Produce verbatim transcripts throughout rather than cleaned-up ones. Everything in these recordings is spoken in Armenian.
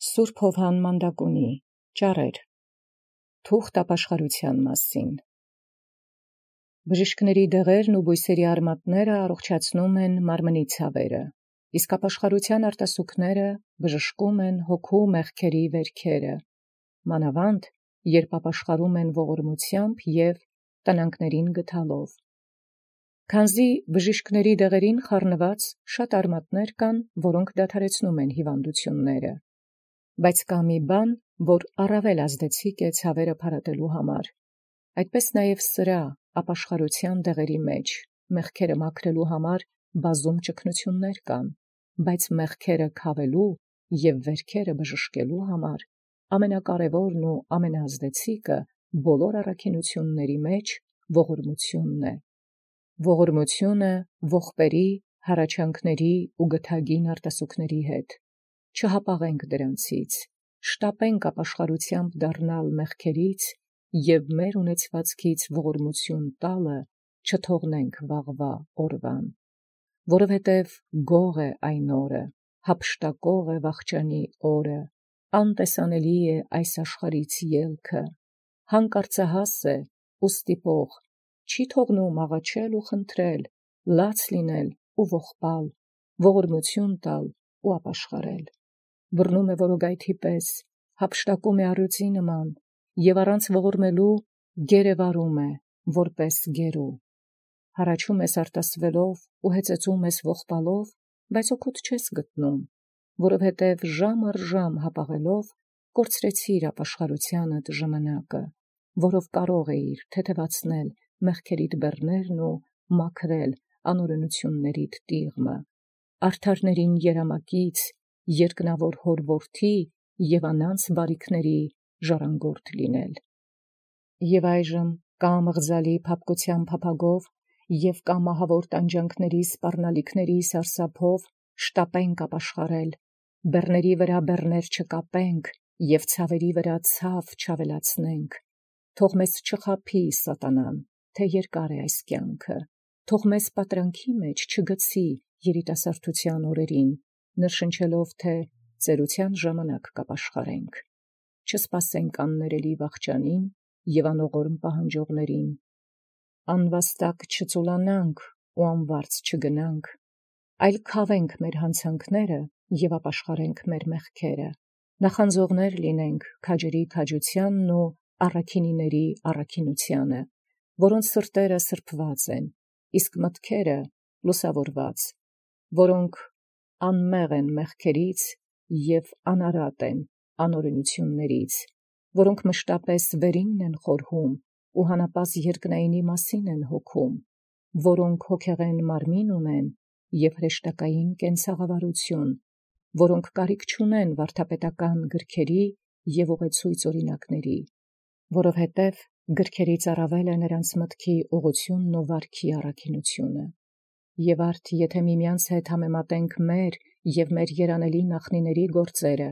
Սուրբ Հովհան Մանդակունի ճառեր թուղթ ապաշխարության մասին։ Բժիշկների դեղերն ու բույսերի արմատները առողջացնում են մարմնի ցավերը, իսկ ապաշխարության արտասուքները բժշկում են հոգու մեղքերի վերքերը, մանավանդ երբ ապաշխարում են ողորմությամբ և տնանքներին գթալով։ Քանզի բժիշկների դեղերին խառնված շատ արմատներ կան, որոնք դադարեցնում են հիվանդությունները, բայց կա մի բան, որ առավել ազդեցիկ է ցավերը փարատելու համար, այդպես նաև սրա ապաշխարության դեղերի մեջ մեղքերը մաքրելու համար բազում ճգնություններ կան, բայց մեղքերը քավելու և վերքերը բժշկելու համար ամենակարևորն ու ամենաազդեցիկը բոլոր առաքինությունների մեջ ողորմությունն է։ Ողորմությունը ողբերի, հառաչանքների ու գթագին արտասուքների հետ։ Չհապաղենք դրանցից, շտապենք ապաշխարությամբ դառնալ մեղքերից և մեր ունեցվածքից ողորմություն տալը չթողնենք վաղվա օրվան, որովհետև գող է այն օրը, հափշտակող է վախճանի օրը, անտեսանելի է այս աշխարհից ելքը, հանկարծահաս է ու ստիպող, չի թողնում աղաչել ու խնդրել, լաց լինել ու ողբալ, ողորմություն տալ ու ապաշխարել։ Բռնում է որոգայթի պես, հափշտակում է առյուծի նման և առանց ողորմելու գերեվարում է, որպես գերու։ Հառաչում ես արտասվելով ու հեծեծում ես ողբալով, բայց օգուտ չես գտնում, որովհետև ժամ առ ժամ հապաղելով կորցրեցիր ապաշխարությանդ ժամանակը, որով կարող էիր թեթևացնել մեղքերիդ բեռներն ու մաքրել անօրենություններիդ տիղմը, արդարներին երամակից, երկնավոր հոր որդի և անանց բարիքների ժառանգորդ լինել։ Եվ այժմ կամ ըղձալի փափկության փափագով և կամ մահավոր տանջանքների սպառնալիքների սարսափով շտապենք ապաշխարել, բեռների վրա բեռներ չկապենք և ցավերի վրա ցավ չավելացնենք, թող մեզ չխաբի սատանան, թե երկար է այս կյանքը, թող մեզ պատրանքի մեջ չգցի երիտասարդության օրերին, ներշնչելով, թե ծերության ժամանակ կապաշխարենք, չսպասենք աններելի վախճանին և անողորմ պահանջողներին, անվաստակ չծուլանանք ու անվարձ չգնանք, այլ քավենք մեր հանցանքները և ապաշխարենք մեր մեղքերը, նախանձողներ լինենք քաջերի քաջությանն ու առաքինիների առաքինությանը, որոնց սրտերը սրբված են, իսկ մտքերը լուսավորված, որոնք անմեղ են մեղքերից և անարատ են անօրենություններից, որոնք մշտապես վերինն են խորհում ու հանապազի երկնայինի մասին են հոգում, որոնք հոգեղեն մարմին ունեն և հրեշտակային կենցաղավարություն, որոնք կարիք չունեն վարդապետական գրքերի և ուղեցույց օրինակների, որովհետև գրքերից առավել է նրանց մտքի ուղղությունն ու վարքի առաքինությունը։ Եվ արդ եթե միմյանց հետ համեմատենք մեր և մեր երանելի նախնիների գործերը,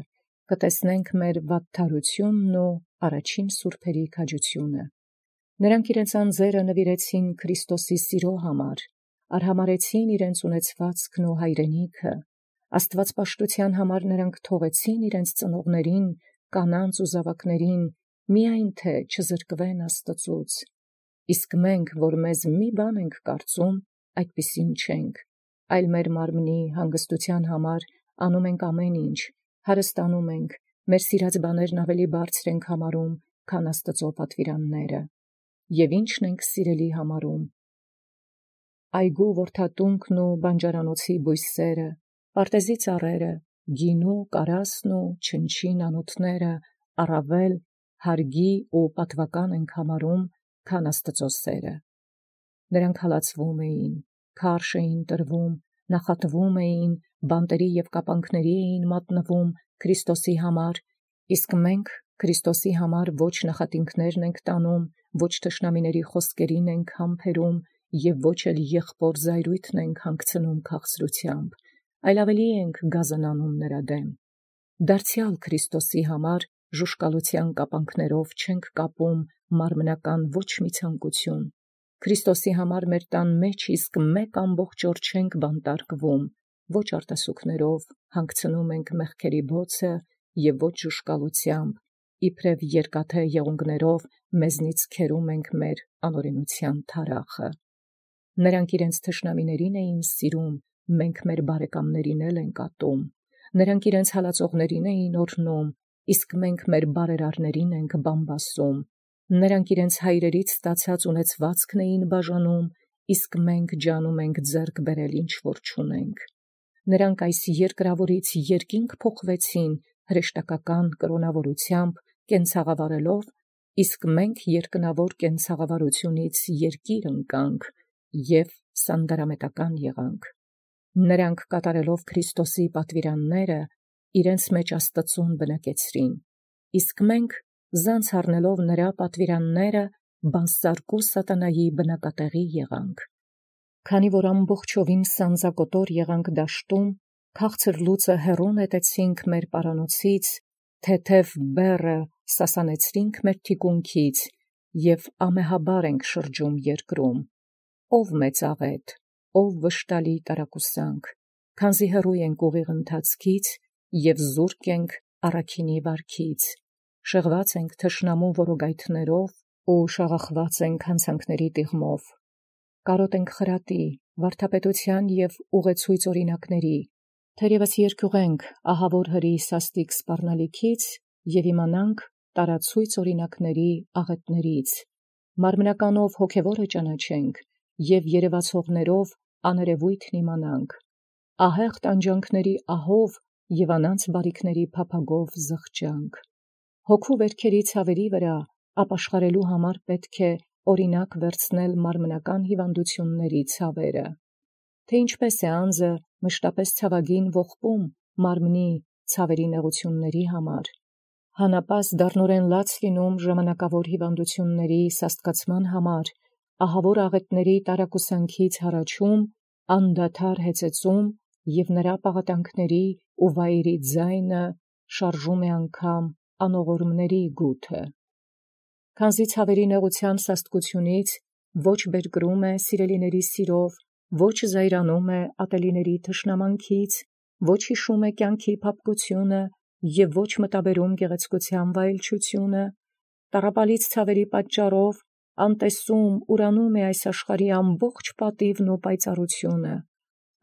կտեսնենք մեր վատթարությունն ու առաջին սուրբերի քաջությունը։ Նրանք իրենց անձերը նվիրեցին Քրիստոսի սիրո համար, արհամարհեցին իրենց ունեցվածքն ու հայրենիքը, աստվածպաշտության համար նրանք թողեցին իրենց ծնողներին, կանանց ու զավակներին, միայն թե չզրկվեն Աստծուց, իսկ մենք, որ մեզ մի բան ենք կարծում, այդպիսին չենք, այլ մեր մարմնի հանգստության համար անում ենք ամեն ինչ, հարստանում ենք, մեր սիրած բաներն ավելի բարձր ենք համարում, քան Աստծո պատվիրանները, և ինչն ենք սիրելի համարում, այգու որդատունկն ու բանջարանոցի բույսերը, պարտեզի ծառերը, գինու, կարասն ու չնչին անոթները առավել հարգի ու պատվական ենք համարում, քան Աստծո սերը։ Նրանք հալածվում էին, քարշ էին տրվում, նախատվում էին, բանտերի և կապանքների էին մատնվում Քրիստոսի համար, իսկ մենք Քրիստոսի համար ոչ նախատինքներն ենք տանում, ոչ թշնամիների խոսքերին ենք համբերում և ոչ էլ եղբոր զայրույթն ենք հանգցնում քաղցրությամբ, այլ ավելի ենք գազանանում նրա դեմ։ Դարձյալ Քրիստոսի համար ժուշկալության կապանքներով չենք կապում մարմնական ոչ մի ցանկություն, Քրիստոսի համար մեր տան մեջ իսկ մեկ ամբողջ օր չենք բանտարկվում, ոչ արտասուքներով հանգցնում ենք մեղքերի բոցը և ոչ ժուշկալութեամբ, իբրև երկաթե եղունգներով մեզնից քերում ենք մեր անօրենութեան թարախը։ Նրանք իրենց թշնամիներին էին սիրում, մենք մեր բարեկամներին էլ ենք ատում։ Նրանք իրենց հալածողներին էին օրհնում, իսկ մենք մեր բարերարներին ենք բամբասում։ Նրանք իրենց հայրերից ստացած ունեցվածքն էին բաժանում, իսկ մենք ջանում ենք ձեռք բերել ինչ որ չունենք։ Նրանք այս երկրավորից երկինք փոխվեցին հրեշտակական կրոնավորությամբ կենցաղավարելով, իսկ մենք երկնավոր կենցաղավարությունից երկիր ընկանք և սանդարամետական եղանք։ Նրանք կատարելով Քրիստոսի պատվիրանները իրենց մեջ Աստծուն բնակեցրին, իսկ մենք զանց առնելով նրա պատվիրանները բանսարկու սատանայի բնակատեղի եղանք։ Քանի որ ամբողջովին սանձակոտոր եղանք դաշտում, քաղցր լուծը հեռու նետեցինք մեր պարանոցից, թեթև բեռը սասանեցրինք մեր թիկունքից և ամեհաբար ենք շրջում երկրում։ Ո՛վ մեծաղետ, ո՛վ վշտալի տարակուսանք, քանզի հեռու ենք ուղիղ ընթացքից և զուրկ ենք առաքինի վարքից, շեղված ենք թշնամու որոգայթներով ու շաղախված ենք հանցանքների տիղմով։ Կարոտ ենք խրատի, վարդապետության և ուղեցույց օրինակների, թերևս երկյուղենք ահավոր հրի սաստիկ սպառնալիքից և իմանանք տարացույց օրինակների աղետներից, մարմնականով հոգևորը ճանաչենք և երևացողներով աներևույթն իմանանք, ահեղ տանջանքների ահով և անանց բարիքների փափագով զղջանք։ Հոգու վերքերի ցավերի վրա ապաշխարելու համար պետք է օրինակ վերցնել մարմնական հիվանդությունների ցավերը, թե ինչպես է անձը մշտապես ցավագին ողբում մարմնի ցավերի նեղությունների համար, հանապազդ դառնորեն լաց լինում ժամանակավոր հիվանդությունների սաստկացման համար, ահավոր աղետների տարակուսանքից հառաչում, անդադար հեծեծում և նրա պաղատանքների ու վայրի ձայնը շարժում է անգամ անողորմների գութը։ Քանզի ցավերի նեղության սաստկությունից ոչ բերկրում է սիրելիների սիրով, ոչ զայրանում է ատելիների թշնամանքից, ոչ հիշում է կյանքի փափկությունը և ոչ մտաբերում գեղեցկության վայելչությունը, տառապալից ցավերի պատճառով անտեսում, ուրանում է այս աշխարհի ամբողջ պատիվն ու պայծառությունը,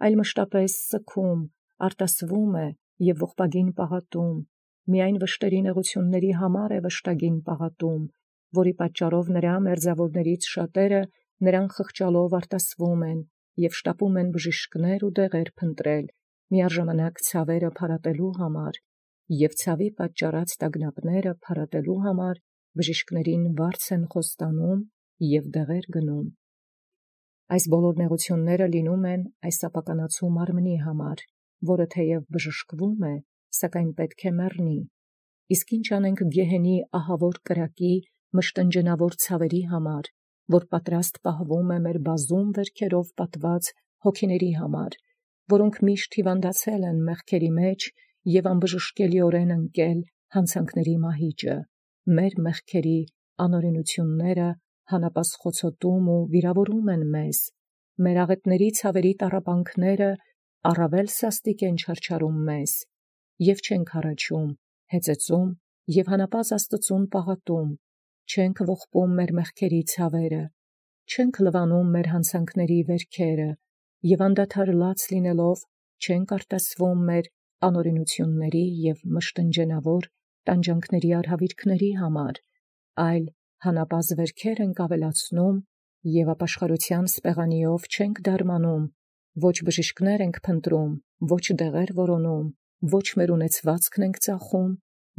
այլ մշտապես սգում, արտասվում է և ողբագին պաղատում, միայն վշտերի նեղությունների համար է վշտագին պաղատում, որի պատճառով նրա մերձավորներից շատերը նրան խղճալով արտասվում են և շտապում են բժիշկներ ու դեղեր փնտրել միաժամանակ ցավերը փարատելու համար և ցավի պատճառած տագնապները փարատելու համար բժիշկներին վարձ են խոստանում և դեղեր գնում։ Այս բոլոր նեղությունները լինում են այս ապականացու մարմնի համար, որը թեև բժշկվում է, սակայն պետք է մեռնի։ Իսկ ինչ անենք գեհենի ահավոր կրակի մշտնջենավոր ցավերի համար, որ պատրաստ պահվում է մեր բազում վերքերով պատված հոգիների համար, որոնք միշտ հիվանդացել են մեղքերի մեջ և անբժշկելիորեն ընկել հանցանքների մահիճը, մեր մեղքերի անօրենությունները հանապազխոցոտում ու վիրավորում են մեզ, մեր աղետների ցավերի տառապանքները առավել սաստիկ են չարչարում մեզ, և չենք հառաչում, հեծեծում և հանապազ Աստծուն պաղատում, չենք ողբում մեր մեղքերի ցավերը, չենք լվանում մեր հանցանքների վերքերը և անդադար լաց լինելով չենք արտասվում մեր անօրենությունների և մշտնջենավոր տանջանքների արհավիրքների համար, այլ հանապազ վերքեր ենք ավելացնում և ապաշխարության սպեղանիով չենք դարմանում, ոչ բժիշկներ ենք փնտրում, ոչ դեղեր որոնում, ոչ մեր ունեցվածքն ենք ծախում,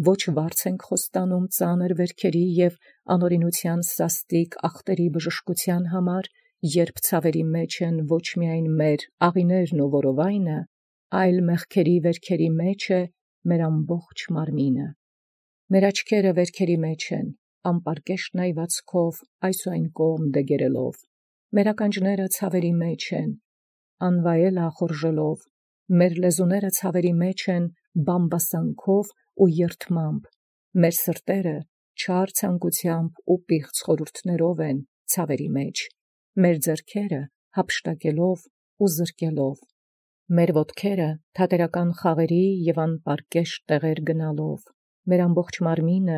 ոչ վարձ ենք խոստանում ծանր վերքերի և անօրենության սաստիկ ախտերի բժշկության համար, երբ ցավերի մեջ են ոչ միայն մեր աղիներն ու որովայնը, այլ մեղքերի վերքերի մեջ է մեր ամբողջ մարմինը։ Մեր աչքերը վերքերի մեջ են, անպարկեշտ նայվածքով այս ու այն կողմ դեգերելով, մեր ականջները ցավերի մեջ են, անվայել ախորժելով, մեր լեզուները ցավերի մեջ են բամբասանքով ու երդմամբ, մեր սրտերը չար ցանկությամբ ու պիղծ խորհուրդներով են ցավերի մեջ, մեր ձեռքերը հափշտակելով ու զրկելով, Մեր ոտքերը թատերական խաղերի և անպարկեշտ տեղեր գնալով, մեր ամբողջ մարմինը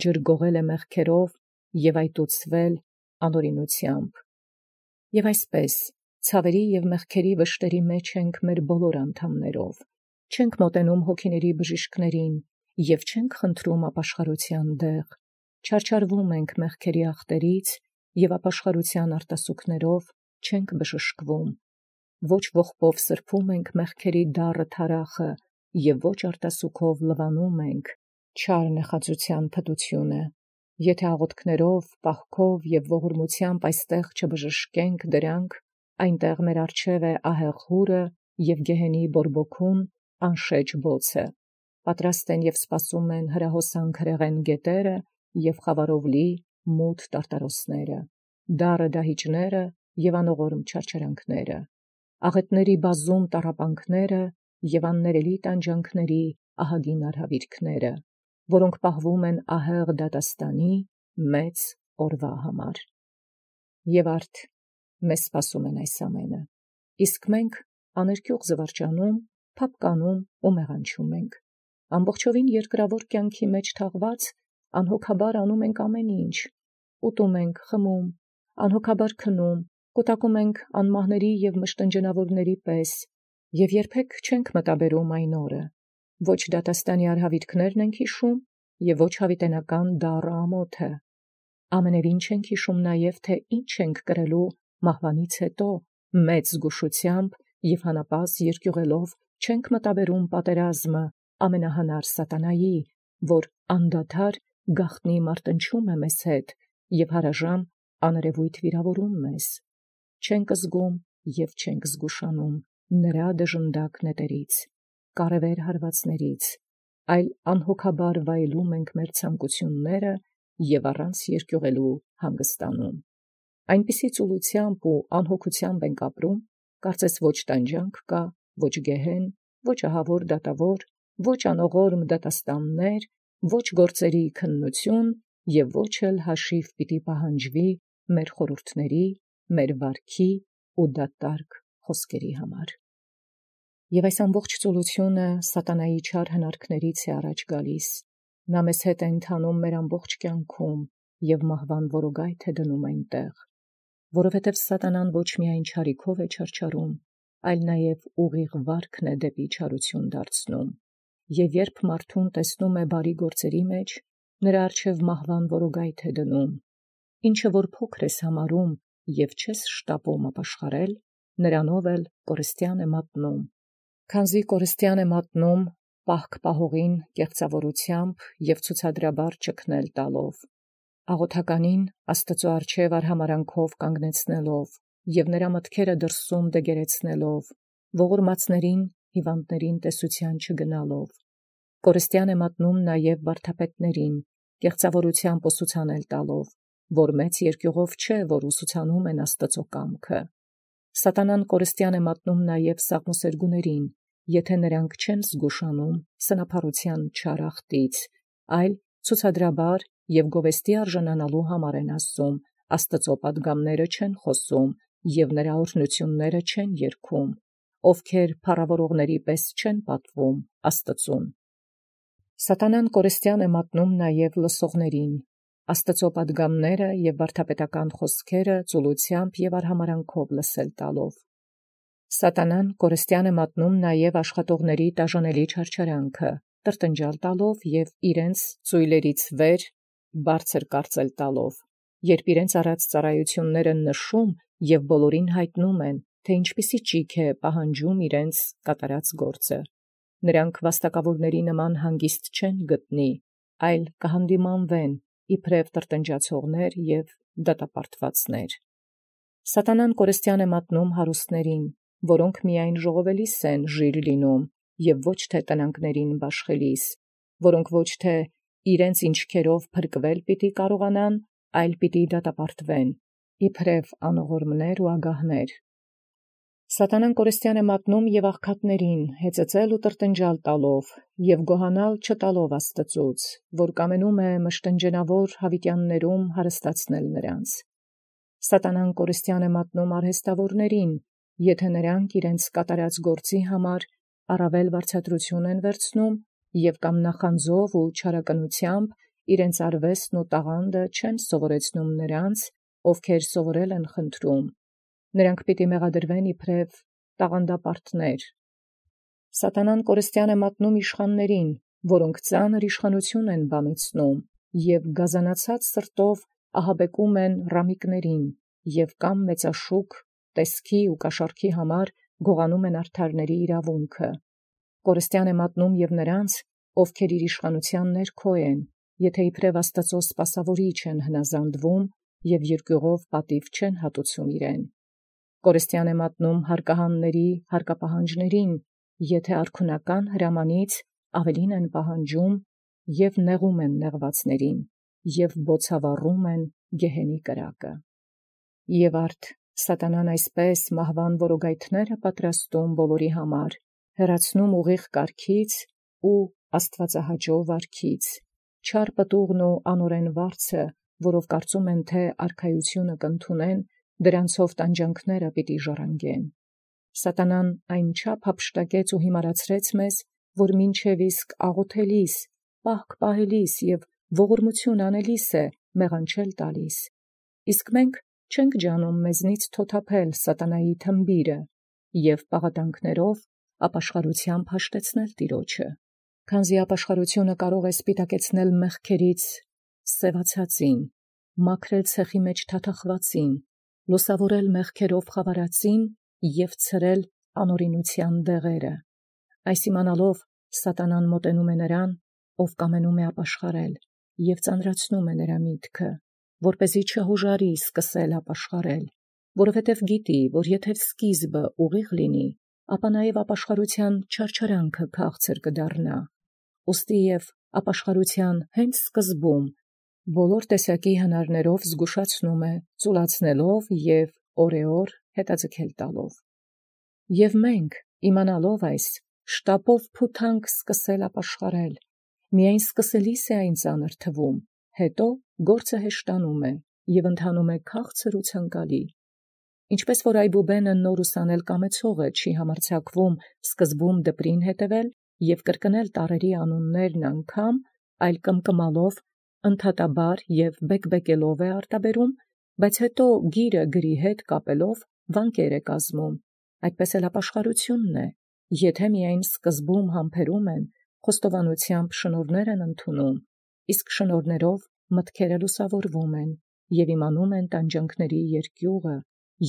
ջրգողել է մեղքերով և այտուցվել անօրինությամբ։ Եվ այսպես ցավերի և մեղքերի վշտերի մեջ ենք մեր բոլոր անդամներով, չենք մոտենում հոգիների բժիշկներին և չենք խնդրում ապաշխարության դեղ, չարչարվում ենք մեղքերի ախտերից և ապաշխարության արտասուքներով չենք բժշկվում, ոչ ողբով սրբում ենք մեղքերի դառը թարախը և ոչ արտասուքով լվանում ենք չար նեխածության փտությունը։ Եթե աղոթքներով, պահքով և ողորմությամբ այստեղ չբժշկենք դրանք, այնտեղ մեր առջև է ահեղ հուրը և գեհենի բորբոքուն անշեջ բոցը, պատրաստ են և սպասում են հրահոսանք հրեղեն գետերը և խավարով լի մութ տարտարոսները, դառը դահիճները և անողորմ չարչարանքները, աղետների բազում տառապանքները և աններելի տանջանքների ահագին արհավիրքները, որոնք պահվում են ահեղ դատաստանի մեծ օրվա համար։ Եվ արդ մեզ սպասում են այս ամենը, իսկ մենք աներկյուղ զվարճանում, փափկանում ու մեղանչում ենք, ամբողջովին երկրավոր կյանքի մեջ թաղված, անհոգաբար անում ենք ամեն ինչ, ուտում ենք, խմում, անհոգաբար քնում, կուտակում ենք անմահների և մշտնջենավորների պես և երբեք չենք մտաբերում այն օրը, ոչ դատաստանի արհավիրքներն ենք հիշում և ոչ հավիտենական դառը ամոթը, ամենևին չենք հիշում նաև, թե ինչ ենք կրելու մահվանից հետո, մեծ զգուշությամբ և հանապազս երկյուղելով չենք մտաբերում պատերազմը ամենահանար սատանայի, որ անդադար գաղտնի մարտնչում է մեզ հետ և հարաժամ աներևույթ վիրավորում մեզ, չենք զգում և չենք զգուշանում նրա դժնդակ նետերից, կարևեր հարվածներից, այլ անհոգաբար վայելում ենք մեր ցանկությունները և առանց երկյուղելու հանգստանում, այնպիսի ծուլությամբ ու անհոգությամբ ենք ապրում, կարծես ոչ տանջանք կա, ոչ գեհեն, ոչ ահավոր դատավոր, ոչ անողորմ դատաստաններ, ոչ գործերի քննություն և ոչ էլ հաշիվ պիտի պահանջվի մեր խորհուրդների, մեր վարքի ու դատարկ խոսքերի համար։ Եվ այս ամբողջ ծուլությունը սատանայի չար հնարքներից է առաջ գալիս, նա մեզ հետ է ընթանում մեր ամբողջ կյանքում և մահվան որոգայթ է դնում այնտեղ, որովհետև սատանան ոչ միայն չարիքով է չարչարում, այլ նաև ուղիղ վարքն է դեպի չարություն դարձնում, և երբ մարդուն տեսնում է բարի գործերի մեջ, նրա առջև մահվան որոգայթ է դնում, ինչը որ փոքր ես համարում և չես շտապում ապաշխարել, նրանով էլ կորստյան է մատնում, քանզի կորստյան է մատնում պահք պահողին կեղծավորությամբ և ցուցադրաբար ճգնել տալով, աղոթականին Աստծու առջև արհամարհանքով կանգնեցնելով և նրա մտքերը դրսում դեգերեցնելով, ողորմածներին հիվանդներին տեսության չգնալով, կորստյան է մատնում նաև վարդապետներին կեղծավորությամբ ուսուցանել տալով, որ մեծ երկյուղով չէ, որ ուսուցանում են Աստծու կամքը, սատանան կորստյան է մատնում նաև սաղմոսերգուներին, եթե նրանք չեն զգուշանում սնափառության չար ախտից, այլ ցուցադրաբար և գովեստի արժանանալու համար են ասում, Աստծու պատգամները չեն խոսում և նրա օրհնությունները չեն երգում, ովքեր փառավորողների պես չեն պատվում Աստծուն։ Սատանան կորստյան է մատնում նաև լսողներին, Աստծու պատգամները և վարդապետական խոսքերը ծուլությամբ և արհամարհանքով լսել տալով։ Սատանան կորստյան է մատնում նաև աշխատողների տաժանելի չարչարանքը, տրտնջալ տալով և իրենց ծույլերից վեր բարձր կարծել տալով, երբ իրենց արած ծառայությունները նշում և բոլորին հայտնում են, թե ինչպիսի ճիգ է պահանջում իրենց կատարած գործը, նրանք վաստակավորների նման հանգիստ չեն գտնի, այլ կհանդիմանվեն իբրև տրտնջացողներ և դատապարտվածներ։ Սատանան կորստյան է մատնում հարուստներին, որոնք միայն ժողովելիս են ժիր լինում և ոչ թե տնանքներին բաշխելիս, որոնք ոչ թե իրենց ինչքերով փրկվել պիտի կարողանան, այլ պիտի դատապարտվեն, իբրև անողորմներ ու ագահներ։ Սատանան կորստյան է մատնում և աղքատներին հեծծել ու տրտնջալ տալով և գոհանալ չտալով Աստծուց, որ կամենում է մշտնջենավոր հավիտյաններում հարստացնել նրանց։ Սատանան կորստյան է մատնում արհեստավորներին եթէ նոցին իրենց կատարած գործի համար առավել վարձատրութիւն են վերցնում, և կամ նախանձով ու չարակնութեամբ իրենց արուեստն ու տաղանդը չեն սովորեցնում նոցա, ովքեր սովորել են խնդրում. նոցք պիտի մեղադրվեն իբրև տաղանդապարտներ։ Սատանան կորստեան է մատնում իշխանացն, որք ծանր իշխանութիւն են բանեցնում, և գազանացած սրտով ահաբեկում են ռամիկներին, և կամ մեծաշուկ տեսքի ու կաշառքի համար գողանում են արդարացն իրաւունքը։ Կորստեան է մատնում և նոցա, ովքեր իր իշխանութեան ներքո են, եթէ իբրև Աստուծոյ սպասաւորի չեն հնազանդվում և երկիւղով պատիւ չեն հատուցում իրեն։ Կորստեան է մատնում հարկահանացն հարկապահանջացն, եթէ արքունական հրամանից առաւելին են պահանջում և նեղում են նեղուածացն, և բոցավառում են գեհենի կրակը։ Եւ արդ սատանան այսպէս մահուան որոգայթս պատրաստում ամենայն, հեռացնում ուղիղ կարգից ու աստուածահաճոյ վարքից, չար պտուղն ու անօրէն վարձը, որով կարծում են թէ արքայութիւնը կընդունեն, դրանցով տանջանս պիտի ժառանգեն։ Սատանան այնչափ յափշտակեց ու յիմարացրեց մեզ, որ մինչև իսկ աղոթելիս, պահք պահելիս և ողորմութիւն անելիս մեղանչել տալիս. իսկ մենք չենք ջանում մեզնից թոթափել սատանայի թմբիրը և պաղատանքներով ապաշխարութեամբ հաշտեցնել տիրոջը, քանզի ապաշխարութիւնը կարող է սպիտակեցնել մեղքերից սևացածին, մաքրել ցեխի մեջ թաթախվածին, լուսաւորել մեղքերով խաւարածին և ցրել անօրինութեան դեղերը։ Այս իմանալով սատանան մոտենում է նրան, ով կամենում է ապաշխարել, և ծանրացնում է նրա միտքը, որպեսզի չհոժարի սկսել ապաշխարել, որովհետև գիտի, որ եթէ սկիզբը ուղիղ լինի, ապա նաև ապաշխարութեան չարչարանքը քաղցր կդառնա։ Ուստի և ապաշխարութեան հենց սկզբում բոլոր տեսակի հնարներով զգուշացնում է, ծուլացնելով և օրեօր հետաձգել տալով։ Եւ մենք, իմանալով այս, շտապով փութանք սկսել ապաշխարել, միայն սկսելիս է այն ծանր թվում, հետո գործը հեշտանում է և ընթանում է քաղցր ու ցանկալի։ Ինչպէս որ այբուբենը նոր ուսանել կամեցողը չի համարձակվում սկզբում դպրին հետևել և կրկնել տառերի անուններն անգամ, այլ կմկմալով ընդհատաբար և բեկբեկելով է արտաբերում, բայց հետո գիրը գրի հետ կապելով վանկեր է կազմում, այդպէս էլ ապաշխարութիւնն է, եթէ միայն սկզբում համբերում են, խոստովանութեամբ շնորհներ են ընդունում, իսկ շնորհներով մտքերը լուսաւորվում են և իմանում են տանջանքսն երկիւղը,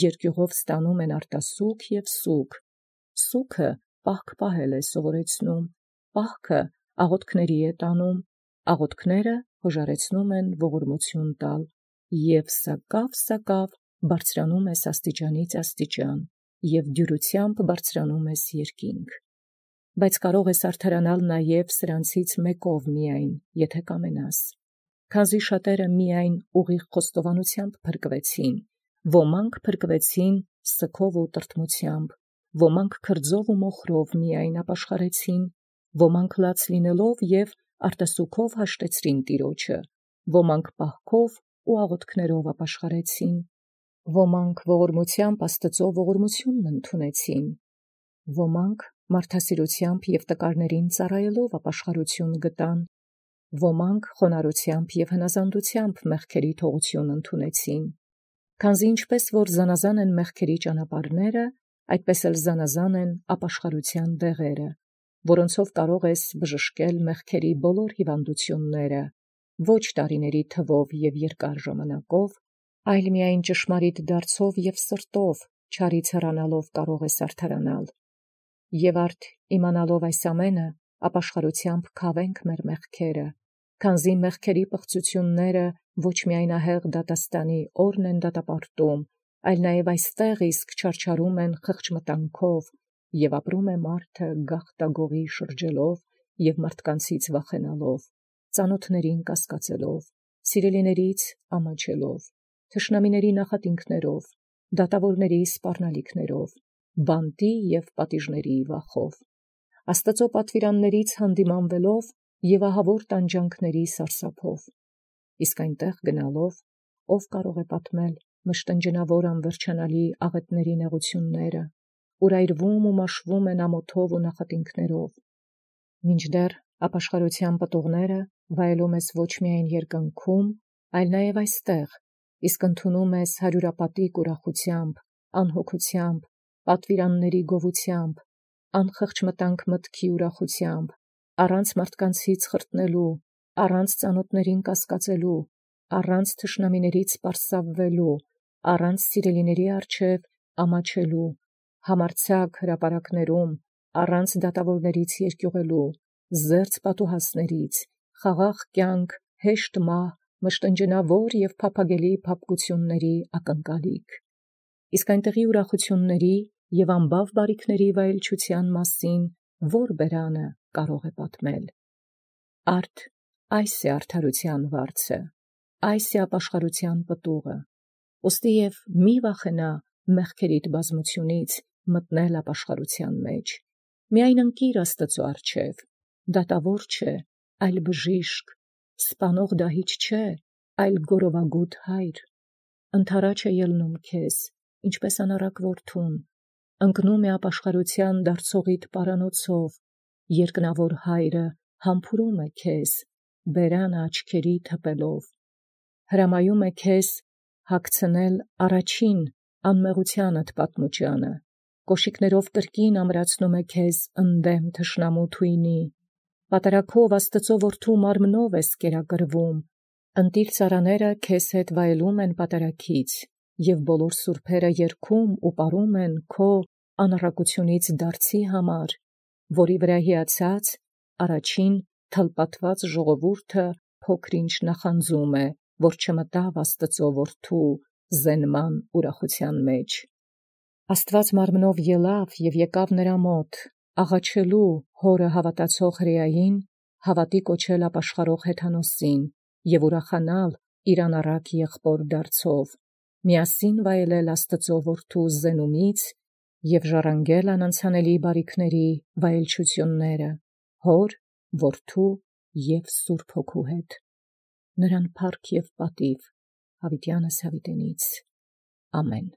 երկիւղով ստանում են արտասուք և սուք, սուքը պահք պահել է սովորեցնում, պահքը աղոթքսն է տանում, աղոթքսն յօժարեցնում են ողորմութիւն տալ, և սակաւ բարձրանում ես աստիճանից աստիճան, և դյուրութեամբ բարձրանում ես երկինք։ Բայց կարող ես արդարանալ նաև սրանցից մեկով միայն, եթէ կամենաս, քանզի շատերը միայն ուղիղ խոստովանութեամբ փրկվեցին, ոմանք փրկվեցին սգով ու տրտմութեամբ, ոմանք քրձով ու մոխրով միայն ապաշխարեցին, ոմանք լաց լինելով և արտասուքով հաշտեցրին տիրոջը, ոմանք պահքով ու աղոթքներով ապաշխարեցին, ոմանք ողորմութեամբ Աստուծոյ ողորմութիւնն ընդունեցին, ոմանք մարդասիրութեամբ և տկարներին ծառայելով ապաշխարութիւն գտան, ոմանք խոնարհութեամբ և հնազանդութեամբ մեղքերի թողութիւն ընդունեցին։ Քանզի ինչպէս որ զանազան են մեղքերի ճանապարհները, այդպէս էլ զանազան են ապաշխարութեան դեղերը, որոնցով կարող ես բժշկել մեղքերի բոլոր հիւանդութիւնները, ոչ տարիների թվով և երկար ժամանակով, այլ միայն ճշմարիտ դարձով և սրտով չարից հեռանալով կարող ես արդարանալ։ Եւ արդ իմանալով այս ամենը, ապաշխարութեամբ քաւենք մեր մեղքերը, քանզի մեղքերի պղծութիւնսն ոչ միայն ահեղ դատաստանի օրն են դատապարտում, այլ նաև այստեղ իսկ չարչարում են խղճմտանքով, և ապրում է մարդը գաղտագողի շրջելով և մարդկանցից վախենալով, ծանոթացն կասկածելով, սիրելիաց ամաչելով, թշնամիների նախատինքներով, դատաւորացն սպառնալիքներով, բանտի և պատիժների վախով, Աստուծոյ պատուիրանացն յանդիմանվելով և ահաւոր տանջանքսն սարսափով, իսկ այնտեղ գնալով, ո՛վ կարող է պատմել մշտնջենաւոր անվերջանալի աղետսն նեղութիւնսն, ուրայրվում ու մաշվում են ամոթով ու նախատինքներով։ Մինչդեռ ապաշխարության պտուղները վայելում ես ոչ միայն երկնքում, այլ նաև այստեղ, իսկ ընդունում ես հարյուրապատիկ ուրախությամբ, անհոգությամբ, պատվիրանների գովությամբ, անխղճ մտանք մտքի ուրախությամբ, առանց մարդկանցից խրտնելու, առանց ծանոթներին կասկածելու, առանց թշնամիներից պարսավվելու, առանց սիրելիների առջև ամաչելու, համարձակ հրապարակներում, առանց դատավորներից երկյուղելու, զերծ պատուհասներից, խաղաղ կյանք, հեշտ մահ, մշտնջենավոր և փափագելի փափկությունների ակնկալիք։ Իսկ այնտեղի ուրախությունների և անբավ բարիքների վայելչության մասին ո՞ր բերանը կարող է պատմել։ Արդ այս է արդարության վարձը, այս է ապաշխարության պտուղը, ուստի և մի վախենա մեղքերիդ բազմությունից մտնել ապաշխարության մեջ, միայն ընկիր Աստծու առջև, դատավոր չէ, այլ բժիշկ, սպանող դահիճ չէ, այլ գորովագութ Հայր, ընդառաջ է ելնում քեզ, ինչպես անառակ որդուն, ընկնում է ապաշխարության դարձողիդ պարանոցով, երկնավոր Հայրը համբուրում է քեզ, բերանը աչքերիդ հպելով, հրամայում է քեզ հագցնել առաջին անմեղությանդ պատմուճանը, կոշիկներով կրկին ամրացնում է քեզ ընդդեմ թշնամու թույնի, պատարագով Աստծու որդու մարմնով ես կերակրվում, ընտիր ծառաները քեզ հետ վայելում են պատարագից, և բոլոր սուրբերը երգում ու պարում են քո անառակությունից դարձի համար, որի վրա հիացած առաջին թլպատված ժողովուրդը փոքր-ինչ նախանձում է, որ չմտավ Աստծու որդու զենման ուրախության մեջ։ Աստված մարմնով ելավ և եկավ նրա մոտ, աղաչելու հորը հավատացող հրեային, հավատի կոչել ապաշխարող Հեթանոսին և ուրախանալ իր անառակ եղբոր դարձով, միասին վայելել Աստծու որդու զենումից և ժառանգել անանցանելի բարիքների վայելչությունները Հոր, Որդու և Սուրբ Հոգու հետ։ Նրան փառք և պատիվ հավիտյանս հավիտենից։ Ամեն։